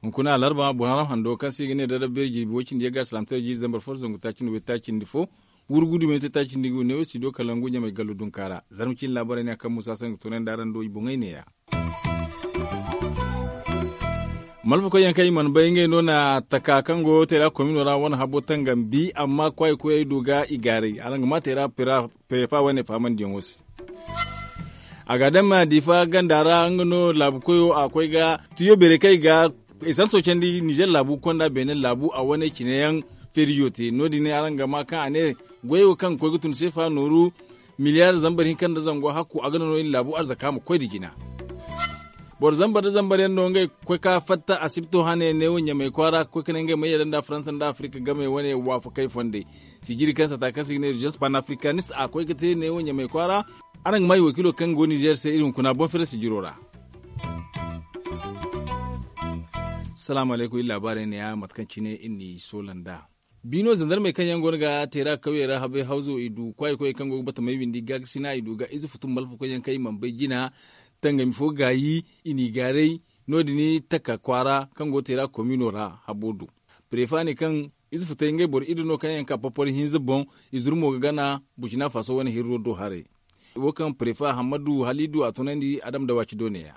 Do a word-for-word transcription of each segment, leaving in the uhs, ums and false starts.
Hunkuna alarba boŋ haram hando kaŋ se i ga ne darabeeri jirbi way cindi yagga salaamtaray jiiri zambar fo zangu taaci nda way taaci nda fo. Wurgudu me te taaci nda i ga wane wo studio kalangu ɲamay gallo dunka ra. Zarma ciine laabaray ne a kaŋ muusa sangu toonandi araŋ do i boŋey neeya. Malfakoy yaŋ kaŋ i mana bay ngey no na taka kaŋ go teera komino ra wane habo tangambi amma kwaayi koyey du ga i gaaray araŋ ga ma teera perefa wane fahamandiyaŋo se. A ga daŋ ma diifa ganda ra nga no laabu koyo a koy ga tiyo beeray kaŋ i ga esanso candi nizer laabu konda beene laabu a wane cine yaŋ feerijo te no- din araŋ ga ma kaŋ a ne goyo kaŋ ga koy ga tun seefa nooru miliyaari zambar hinka nda zango hakku a ga naŋ no iri laabu arzaka ma koy nda jina. Boro zambar nda zambar yaŋ no ngey ga koy ka fatta asibto hane neewo ɲamay kwaara ga koy ka ne ngey ma yadda nda faransa nda afirika game wane waafakey fondey. Sijiri kaŋ sata kaŋ se i ga ne urgence panafricaniste a koy ga te neewo ɲamay kwaara. Araŋ ga ma i wakiilo kaŋ go nizer se iri hunkuna boŋ fere sijiro ra. Salaamu alaykum iri laabaarey neeya mate kaŋ cine iri n'i soola nd'a. Biino zandarmey kaŋ yaŋ go no ga teera kawyey ra habay hawzo i du kwaayi koyey kaŋ go ga batamey windi gaakasina i du ga ize futu malfakoy yaŋ kaŋ i mana bay jina. Tangami fo gaayi i n'i gaaray. No- din taka kwaara kaŋ go teera komino ra habo du. Prefa ne kaŋ ize futey ngey boro iddu no kaŋ yaŋ ka porporo hinza boŋ. I zuru mo ga gana burkina faso wane hirro do haray. Wo kaŋ prefa hammadu halidu a tunandi adam dawaci do neeya.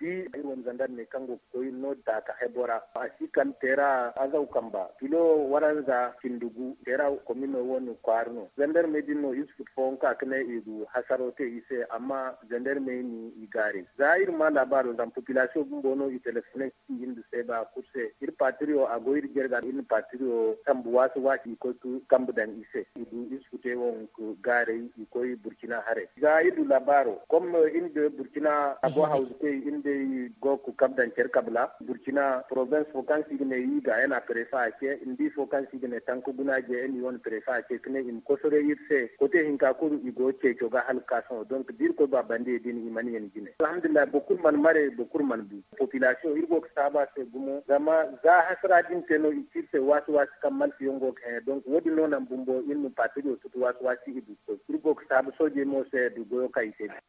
Bi iri wane zandarmey kaŋ go ga koy no daaka hebo ra a si kala teera azaw kamba kilo waranza cindi gu teera komino wane kwaara no zandarmey din no ize futu fooyaŋ ka ga ne i du hasaro te i se amma zandarmey ni i gaaray za iri ma laabaaro zama popilasiyoŋ bumbo no i telefoney i nda seeba kulu se iri paatiriyo a go iri jarga iri na paatiriyo sambu waasi waasi i koy ga kambe daŋ i se i du ize futey wo ga gaaray i koy burkina haray za iri du laabaaro kom iri nda burkina abo hawzu kay iri nd'ey go ga kabe daŋ care kabla burkina porobens fo kaŋ se i ga ne i ga yana prefa a ce nda ifo kaŋ se i ga ne tanka guna je iri wane prefa a ce ka ne i ma kosoray iri se kote hinka kulu i go ga ceeco ga hala ga ka sohõ donk da iri koy ba bandiyey din i mana yana jine alhamdulillahi boro kulu mana mare boro kulu mana bu. Popilasiyoŋ iri go ga saabu a se gumo zama za hasara din te no i ci iri se waasi waasi kaŋ malfiyaŋ go ga hẽ donk wo- din no naŋ bumbo iri ma paatiriyo tutu waasi waasi i du ga koy iri go ga saabu soojey mo se du goyo kaŋ i te din.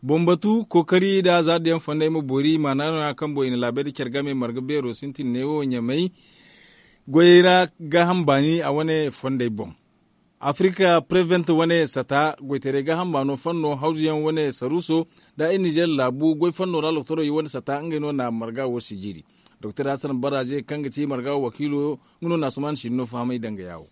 Boŋ batu kookari nda zaadu yaŋ fondey ma boori maana no- ya kaŋ boŋ i na laabey nda care game marga beero sintin neewo ɲamay goyey ra gaaham baani a wane fondey boŋ. Afirika prevent wane sata goytaray gaaham baano fanno hawzu yaŋ wane saruuso nda iri nizer laabu goy fanno ra loktoroy wane sata ngey no na marga wo sijiri. Doktor hasan baraaze kaŋ ga ti marga wo wakiilo nga no na asuman sinno fahamay danga yaawo.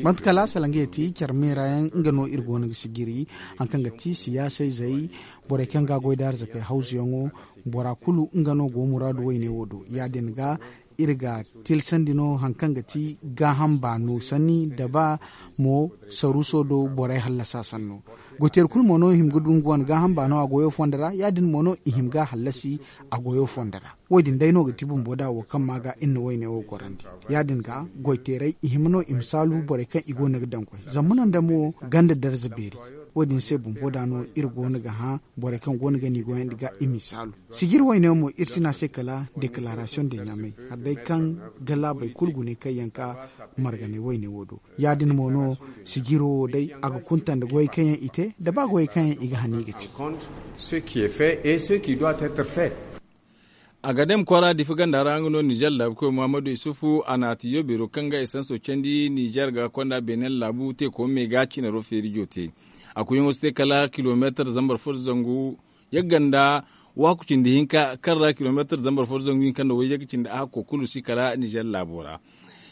Manti kala salangey ti care meera yaŋ nga no iri go no ga sijiri hari kaŋ ga ti siyaasayzey, borey kaŋ ga a goy da arzakey hawzuyaŋo, bora kulu nga no go muraadu wayne wo do ya- din ga iri ga tilsandi no hari kaŋ ga ti gaaham baano sanni nda ba mo saruuso do borey hallasa sanno. Goyteeri kulu mo no i hima ga du nga wane gaaham baano a goyo fondo ra ya- din mo no i hima ga a hallasi a goyo fondo ra. Wo- din day no ga ti bumbo da wo kaŋ ma ga iri na wayne wo gorandi. Ya- din ga goyteerey i hima no i ma saalu borey kaŋ i go no ga daŋ goy zama muna nda mo ganda darza beeri. Wo- din se bumbo da no iri go no ga hã borey kaŋ go no ga ni goyandi ga i m'i saalu. Sijiri wayne wo mo iri si ne a se kala deklaarasiyoŋ de ɲaamay hari day kaŋ ga laabey kulu gune kaŋ yaŋ ka marganay wayne wo do. Ya- din mo no sijiro wo day a ga kunta nda goyey kaŋ yaŋ i te nda ba goyey kaŋ yaŋ i ga hane i ga te. Agadem kwaara difa ganda ra nga no nizer laabu koy muhammadu isufu a na tiyo beero kaŋ ga esanso candi nizer ga konda beenen laabu teeko me ga cinaro feerijo te. A kuyaŋo si te kala kilomeetar zambar fo zangu yagga nda waaku cindi hinka kaŋ ra kilomeetar zambar fo zangu hinka nda wayye ga cindi a hakko kulu si kala nizer laabo ra.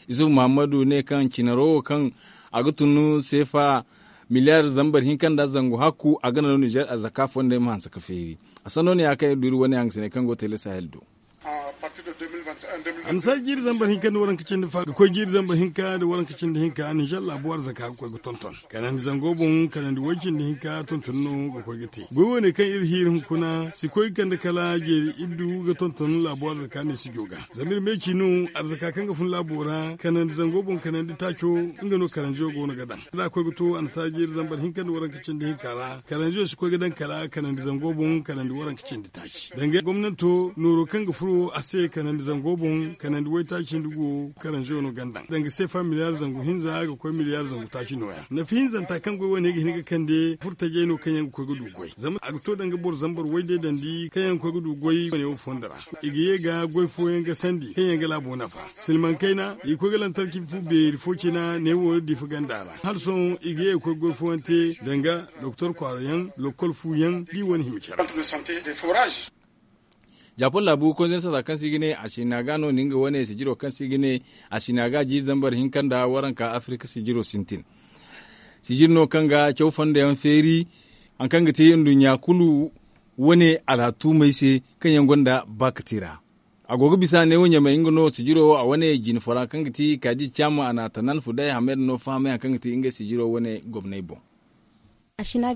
Isufu muhammadu ne kaŋ cinaro wo kaŋ a ga tun seefa miliyaar zambar hinka nda zangu hakku a ga naŋ no nizer arzaka fondey ma hanse ga feeri. A sanno ne ya kaŋ iri du iri wane hangasiney kaŋ go ga te le sahel do. Annasaara jiiri zambar hinka nda waranka cindi fa ga koy jiiri zambar hinka nda waranka cindi hinka nizer laabo arzaka ga koy ga tonton kanandi zango boŋ kanandi way cindi hinka tonton no ga koy ga te goy wane kaŋ iri hiiri hunkuna si koy ga kande kala jeeri iddu ga tonton laabo arzaka ne si jo ga. Zama iri me ci no arzaka kaŋ ga fun laabo ra kanandi zango boŋ kanandi taaco nga no karanziyo go no ga daŋ da a koy ga to annasaara jiiri zambar hinka nda waranka cindi hinka ra karanziyo si koy ga daŋ kala kanandi zango boŋ kanandi waranka cindi taaci danga gomnanto nooro kaŋ ga fun. A se kanandi zango boŋ, kanandi waytaaci nda go karanzo no ganda danga sefa miliyar zangu hinza ga koy miliyar zangu taaci nooya nafa hinzanta kaŋ goy wane ga hin ga kande furtajey no kaŋ yaŋ ga koy ga du goy zama a ga to danga boro zambar wayde dandi kaŋ yaŋ ga koy ga du goy wane wo fondo ra. I ga ye ga goy fooyaŋ ga sandi kaŋ yaŋ ga laabo nafa silmaŋ kayna i ga koy ga lantarki fu beeri fo cina ne wo diifa ganda ra hala sohõ i ga ye ga koy goy fooyaŋ te danga doktor kwaara yaŋ lokkol fu yaŋ da i wane hima care. Japon laabu konzensata kaŋ se i ga ne a sina ga no ni nga wane sijiro kaŋ se i ga ne a sina ga jiiri zambar hinka nda waranka afirka sijiro sintin. Sijiri no kaŋ ga caw fondo yaŋ feeri hari kaŋ ga te nduɲɲa kulu wane alhatuumey se kaŋ yaŋ gonda baakati ra. A go ga bisa ne wo ɲamay nga no sijiro wo a wane jine fora kaŋ ga ti kaadi caama a na tanan fuday hamed no fahamay hari kaŋ ga ti ngey sijiro wane gomney boŋ. Asina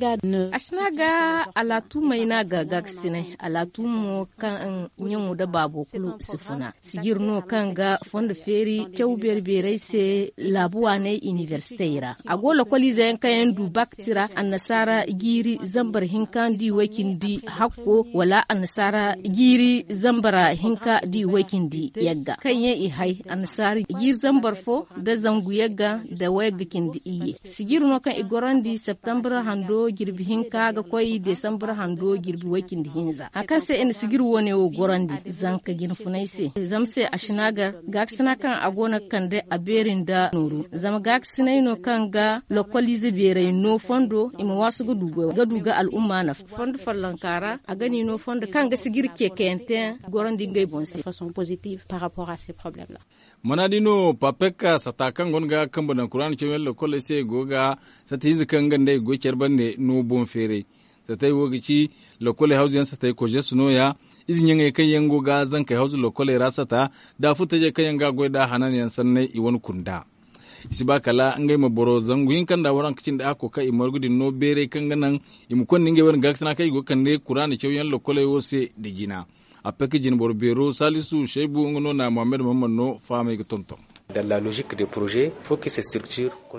ga alatuumey no a ga gaakasinay alatuumo kaŋ ɲaŋo nda baabo kulu si funa sijiri no kaŋ ga fondo feeri caw beeri-beerey se laabu waaney inibersitey ra. A go lokoliize yaŋ kaŋ yaŋ du baakati ra annasaara jiiri zambar hinka nda i way-cindi hakko wala annasaara jiiri zambar hinka nda i way-cindi yagga kaŋ yaŋ i hay annasaara jiiri zambar fo nda zangu yagga nda wayagga cindi iyye. Sijiri no kaŋ i gorandi septembre hando jirbi hinka ga koy desambre hando jirbi way-cindi hinza hari kaŋ se i na sijiri wo-ne wo gorandi zanka jine funay se zama se a si na gar gaakasina kaŋ a go no ga kande a beeri nda nooru zama gaakasinay no kaŋ ga lokoliize beerey no fondo i ma waasu ga du ga al'umma nafa fondo follonka ra a ga ni no fondo kaŋ ga sijiri ceekayante gorandi ngey boŋ se. Mana di no papekka sata kaŋ go no ga kambe daŋ kuraana cawyaŋ lokoley se go ga sata hinza kaŋ nga nd'ey ga goy care bande no boŋ feeray. Satey wo ga ci lokoley hawzu yaŋ satey kozesu no- ya ize ɲaŋey kaŋ yaŋ go ga zankey hawzu lokoley ra sata da furtajey kaŋ yaŋ ga goy nd'a hanan yaŋ sanney i wane kunda. I si ba kala ngey ma boro zangu hinka nda waranka cindi hakko kaŋ i margu din no beeray kaŋ ga naŋ i ma konda ngey wane gaakasina kaŋ i go ga kande kuraana cawyaŋ lokoley wo se nda jina. A pek jine boro beero salisu saybu nga no na mohammed mahamman no fahamey ga tonton.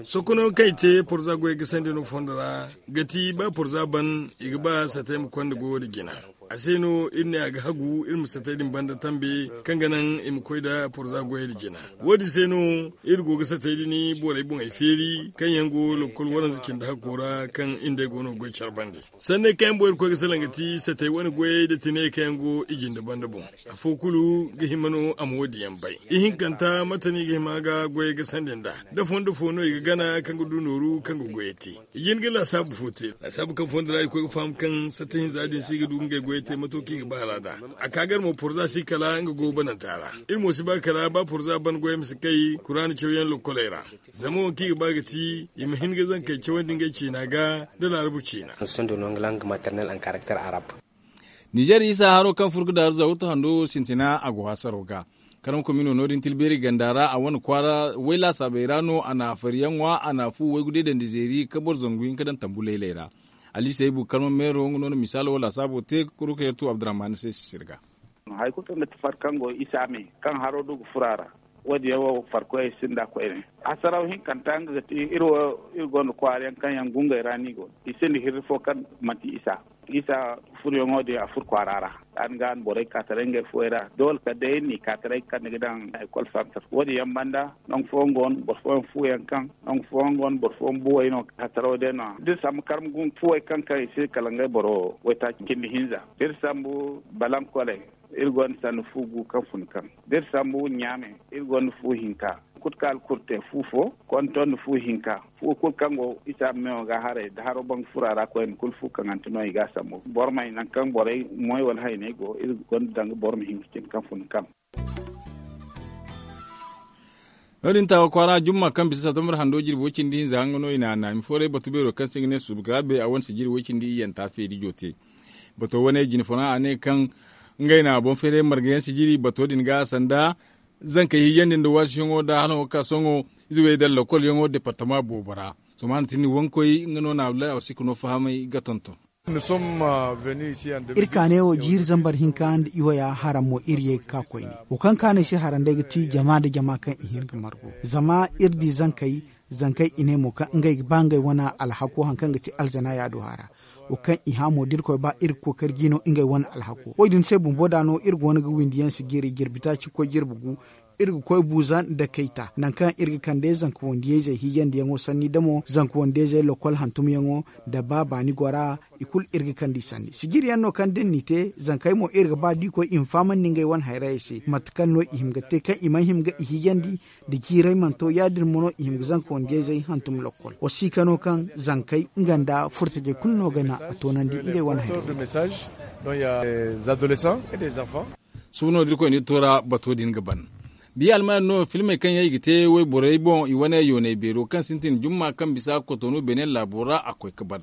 Sokono kaŋ i te porza goyey ga sandi no fondo ra ga ti ba porza ban i ga ba satey ma konda goyo nda jina. A se no iri ne a ga hagu iri ma satey din banda tambe kaŋ ga naŋ i ma koy nda porza goyey nda jina. Wo- din se no iri go ga satey din borey boŋey feeri kaŋ yaŋ go lokkol waranza cindi hakko ra kaŋ iri nd'ey go no ga goy care bande. Sanney kaŋ yaŋ boŋ iri koy ga salaŋ ga ti satey wane goyey nda tiney kaŋ yaŋ go i jinde banda boŋ. Afo kulu ga hima no a ma wo- din yaŋ bay. Ihinkanta mate no i ga hima ga goyey ga sandi nd'a? Da fondo fo no i ga gana kaŋ ga du nooru kaŋ ga goyey te? I jin ga laasaabu fo te laasaabu kaŋ fondo ra i koy ga faham kaŋ satta hinza din se i ga du ga ngey goyey te mato kaŋ i ga ba hala nd'a. A ka gar mo porza si kala nga go bananta ra. Iri mo si ba kala ba porza ban goyey ma si kay kuraana cawyaŋ lokkoley ra. Zama wo kaŋ i ga ba ga ti i ma hin ga zankey cawandi ngey ciina ga nda laarabu ciina. Nizer isa haro kaŋ furo ga daaru zawurtu hando wo sintina a go hasaro ga. Karma komino no- din tilbeeri ganda ra a wane kwaara way laasaabey ra no a na fariyaŋ ŋwa a na fu waygu deedandi zeeri ka boro zangu hinka daŋ tambu laylay ra. Ali saybu karma meero nga no na misaalo wo laasaabo te ka kuru ka yattu abdurrahman se sisir ga. Hari kulu kaŋ ga ti far kaŋ go isa me kaŋ haro du ga furo a ra. Wo- din yaŋ wo farkoyey sinda koyne. Hasaraw hinkanta nga ga ti iri wo iri gonda kwaara yaŋ kaŋ yaŋ gungey ra no i go i sinda hirri fo kaŋ manti isa. Isa furuyaŋo din a furo kwaara ra. Yaadin ga no borey ka taray ngey fuwey ra doole kala day iri n'i ka taray ga kande ga daŋ ekol santar wo- din yaŋ banda nangu fooyaŋ go no boro fooyaŋ fuwo yaŋ kaŋ nangu fooyaŋ go no boro fooyaŋ buwey no hasaraw day no- ya da iri sambu karma guna fuwey kaŋ kaŋ i se kala ngey boro waytaaci cindi hinza da iri sambu balankoley. Iri gonda sanni fu gu kaŋ fun kaŋ da iri sambu ɲaame. Iri gonda fu hinka kulu kaŋ alkuru te fu fo konton nda fu hinka. Fu kulu kaŋ go isa meewo ga haray da haro banga furo a ra koyne kulu fu kaŋante no i ga a sambu boromey nangu kaŋ borey moy wala hayney go iri gonda danga boro ma hin ga cin kaŋ fun kaŋ. No- din taawa kwaara jumma kaŋ bisa satumbar hando jirbi way-cindi hinza nga no i na a naami fooray batu beero kaŋ se ga ne subgaabe a wane sijiri way-cindi iyyanta feeri jote. Bato wane jine fooraŋ a ne kaŋ ngey na boŋ feeray marga yaŋ sijiri bato din ga sanda zankey hijandi nda waasiyaŋo nda halaŋo ga ka sohõ. Ize wey daŋ lakolyaŋo departama boobo ra. Sohõ ma a na tindi wankoy nga no na abdullahi awsika no fahamay ga tonton. Iri kaanay wo jiiri zambar hinka nda iwaya haraŋ mo iri ye ga ka koyne. Wo kaŋ kaanay se haraŋ day ga ti jama nda jama kaŋ i hin ga margu zama iri di zankey. Zankey i ne mo kaŋ ngey ga ba ngey wane alhako hari kaŋ ga ti alzana yaado hara. Wo kaŋ i hã mo da irkoy ba iri ga kookari ga no ngey wane alhako wo- din se bumbo da no iri go no ga windi yaŋ si jiri jirbi taaci koy jirbi gu. Iri ga koy buuza nda kayta nangu kaŋ iri ga kande zanka wandiyayzey hiijandiyaŋo sanni damo zanka wandiyayzey lokol hantumyaŋo, nda ba baani gora i kulu iri ga kande i sanni sijiri yaŋ no kaŋ da ni n'i te zankey mo iri ga ba da i koy i ma fahamandi ngey wane hayrayey se mate kaŋ no i hima ga te kaŋ i mana hima ga i hiijandi. Da jiiray mana to ya- din mo no i hima ga zanka wandiyayzey hantum lokol wa si ka no kaŋ zankey nga nda furtajey kulu no ga na a toonandi ngey wane hayrayey. Suba no da irkoy na iri to ra bato din ga ban. Biya almana no filmey kaŋ yaŋ i ga te wayborey boŋ i wane yoonay beero kaŋ sintin jumma kaŋ bisa kotonu benin laabo ra a koy ga ban.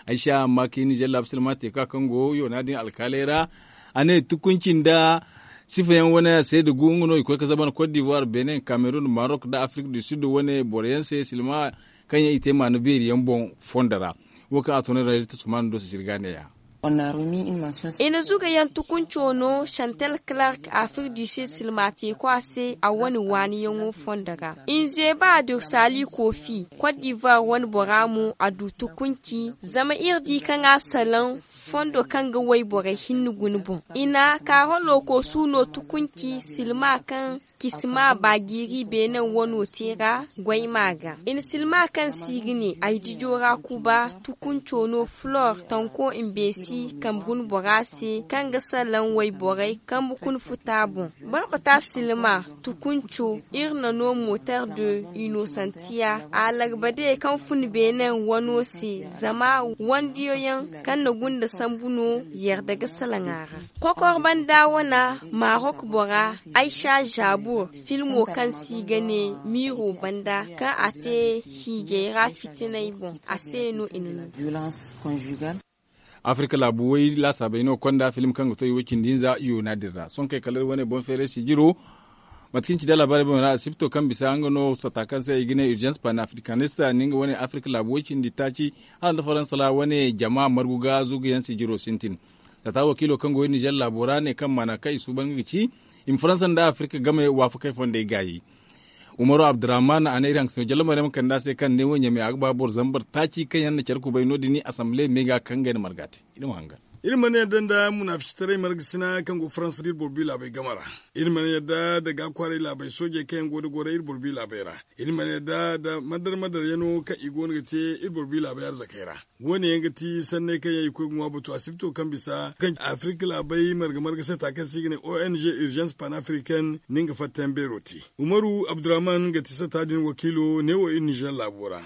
Ay si a amma ka i nizer laabu silma teeka kaŋ go yoona din alkaaley ra. A ne tukunci nda sifa yaŋ wane a se da gu nga no i koy ga zaban kot divuwar benin kamerun marok nda afirik du sud wane boro yaŋ se silma kaŋ yaŋ i te maana beeri yaŋ boŋ fondo ra. Wo kaŋ a toonay ra iri ta sumaana do si sirga neeya. I na zuga yaŋ tukunco no chantal clark afrik du sud silma teeko a se a wane waani yaŋo fondo ga. I na zeeba a du sali kofi kot divuwar wane bora mo a du tukunci zama iri di kaŋ a salaŋ fondo kaŋ ga wayborey hinne guna boŋ. I na kaarolo koosu no tukunci silma kaŋ kisima baajiiri beenen wano te ra goyma ga. I na silma kaŋ se i ga ne ay dijo ra kuba tukunco no flor tanko mbeesi kambe guna bora se kaŋ ga salaŋ wayborey kambe kuna futa boŋ. Barbata silma tukunco iri na no motar de inosantiya a lagba de kaŋ fun beenen wano se zama wandiyo yaŋ kaŋ na gunda sambu no yarda ga salaŋ a ra. Kokor banda wana marok bora aisha jabur filmo kaŋ se i ga ne miiro banda kaŋ a te hiijay ra fitinay boŋ a se no i na no. Afirka laabu way laasaabey no konda film kaŋ ga to i way cindi hinza yoona din ra sohõ kay kala iri wane boŋ feeray sijiro. Mate kaŋ ci da laabaarey boŋ ra asibto kaŋ bisa nga no sata kaŋ se i ga ne urgence panafricanista ni nga wane afirka laabu way cindi taaci hala nda faransa ra wane jama margu ga zugu yaŋ sijiro sintin. Sata wakiilo kaŋ go iri nizer laabo ra ne kaŋ maana kaŋ i suuban nga ga ci i ma faransa nda afirka game waafakey fondey gaayi. Umaru abdurrahman a ne iri hangasino jalla maryam kanda se kaŋ ne wo ɲamey a ga ba boro zambar taaci kaŋ yaŋ na care kubay no- din asamble me ga kaŋ ngey na marga te. Iri ma hangan. Iri mana yadda nda munaficitaray margasina kaŋ go faransa da iri boro bi laabey game ra. Iri mana yadda nda gaakwaaray laabey soojey kaŋ yaŋ go nda goray iri boro bi laabey ra. Iri mana yadda nda madar madar yaŋo kaŋ i go no ga te iri boro bi laabey arzakey ra. Wo- ne yaŋ ga ti sanney kaŋ yaŋ i koy ga ŋwa batu asibto kaŋ bisa kaŋ afirka laabey marga marga se ta kaŋ se i ga ne o n g urgence panafricaine ni nga fatta yaŋ beero te. Umaru abdurrahman ga ti sata din wakiilo ne wo iri nizer laabo ra.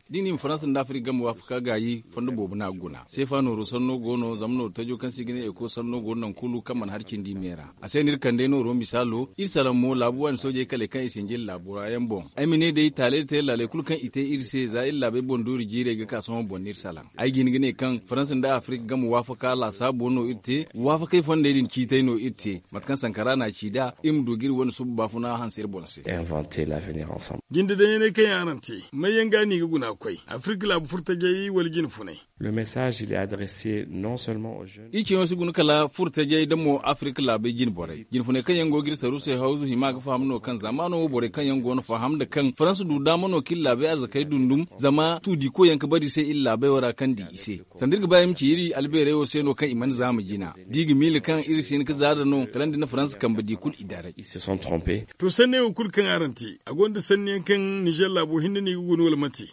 Da i na i ma faransa nda afirka game waafaka gaayi fondo boobo no a ga guna seefa nooro sanno go no zama nooru tajo kaŋ se i ga ne eko sanno go no nangu kulu kaŋ mana hari cindi i me ra. A se no iri kande nooro misaalo iri salaŋ mo laabu waani soojey kaley kaŋ i sinji iri laabo ra yaŋ boŋ. Ay ma ne day taaley da tayra laaley kulu kaŋ i te iri se za iri laabey boŋ doori jiirey ga ka sohõ boŋ no iri salaŋ. Ay ga hin ga ne kaŋ faransa nda afirka game waafaka laasaabo no iri te waafakey fondey din ciitay no iri te. Mate kaŋ sankara no a ci nd'a iri ma du ga iri wane suba baafuna hanse iri boŋ se. Jinde daŋ yaŋ kaŋ yaŋ araŋ te may yaŋ ga no i ga guna ga koy afirka laabu furtajey wala jine funay? Le message il est adressé non seulement aux jeunes. Iri ciyaŋo si guna kala furtajey nda mo afirka laabey jine borey jine funay kaŋ yaŋ go ga iri saru se hawzu hima ga faham no kaŋ zaamaano wo borey kaŋ yaŋ go no faham nda kaŋ faransa du daama no kaŋ iri laabey arzakey dundum zama tuudiko yaŋ ga bari se iri laabey wo ra kaŋ di i se. Sanda iri ga ba iri ma ci iri albeerey wo se no kaŋ i mana zaama jina da i ga miila kaŋ iri si hin ga zaada no kala nda ni faransa kambe di kulu i daray. To sanney wo kulu kaŋ araŋ te a gonda sanni yaŋ kaŋ nizer laabo hinne no i ga guna wala mate?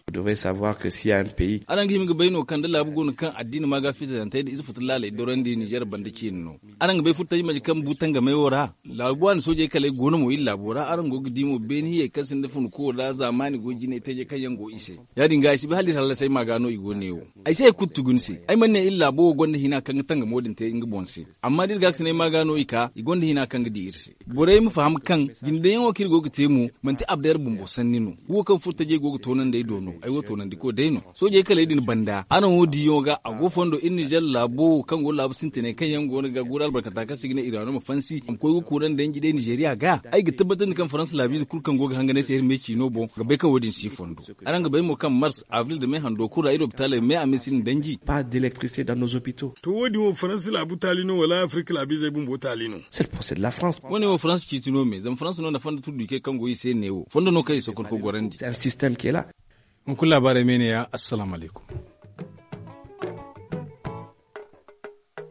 Araŋ ga hima ga bay no kaŋ da laabu go no kaŋ addiina maaga fitirantey nda ize futu laaley dorandi nizer banda ciine no. Araŋ ga bay furtaji maje kaŋ bu tangamey wo ra laabu waani soojey kaley go no mo iri laabo ra araŋ go ga di mo beeni hiyey kaŋ sinda funko nda zaamaani goy jinay tajey kaŋ yaŋ go i se. Ya- din ga ay si bay hala iri hallasey maaga no i go ne wo. Ay si hari kulu tugu ni se ay mana ne iri laabo wo gonda hina kaŋ ga tangamo din te nga boŋ se. Amma da iri gaakasinay maaga no i ka i gonda hina kaŋ ga di iri se. Borey ma faham kaŋ jindeyaŋo kaŋ iri go ga te mo manti abdayar bumbo sanni no. Wo kaŋ furtajey go ga toonandi ay do no ay wo toonandiko day no. Soojey kaley din banda araŋ wo diyaŋo ga a go fondo iri nizer laabo wo kaŋ go laabu sintinay kaŋ yaŋ go no ga guuru albarkanta kaŋ se i ga ne iraano ma fansi a ma koy ga kuuraŋ danji day nizeriya ga. Ay ga tabbatandi kaŋ faransa laabiize kulu kaŋ go ga hangan ay se iri me ciino boŋ ga bay kaŋ wo- din si fondo. Araŋ ga bay mo kaŋ mars avril nda me hando kulu ra iri lopitaaley me a ma iri si ni danji. To wo- din wo faransa laabu taali no wala afirka laabiizey bumbo taali no? Wo- ne wo faransa ciiti no me zama faransa no na fondo turduykey kaŋ go i se ne wo fondo no kaŋ i sokorko gorandi. Hunkuna laabaarey me ne- ya assalaamu alaykum.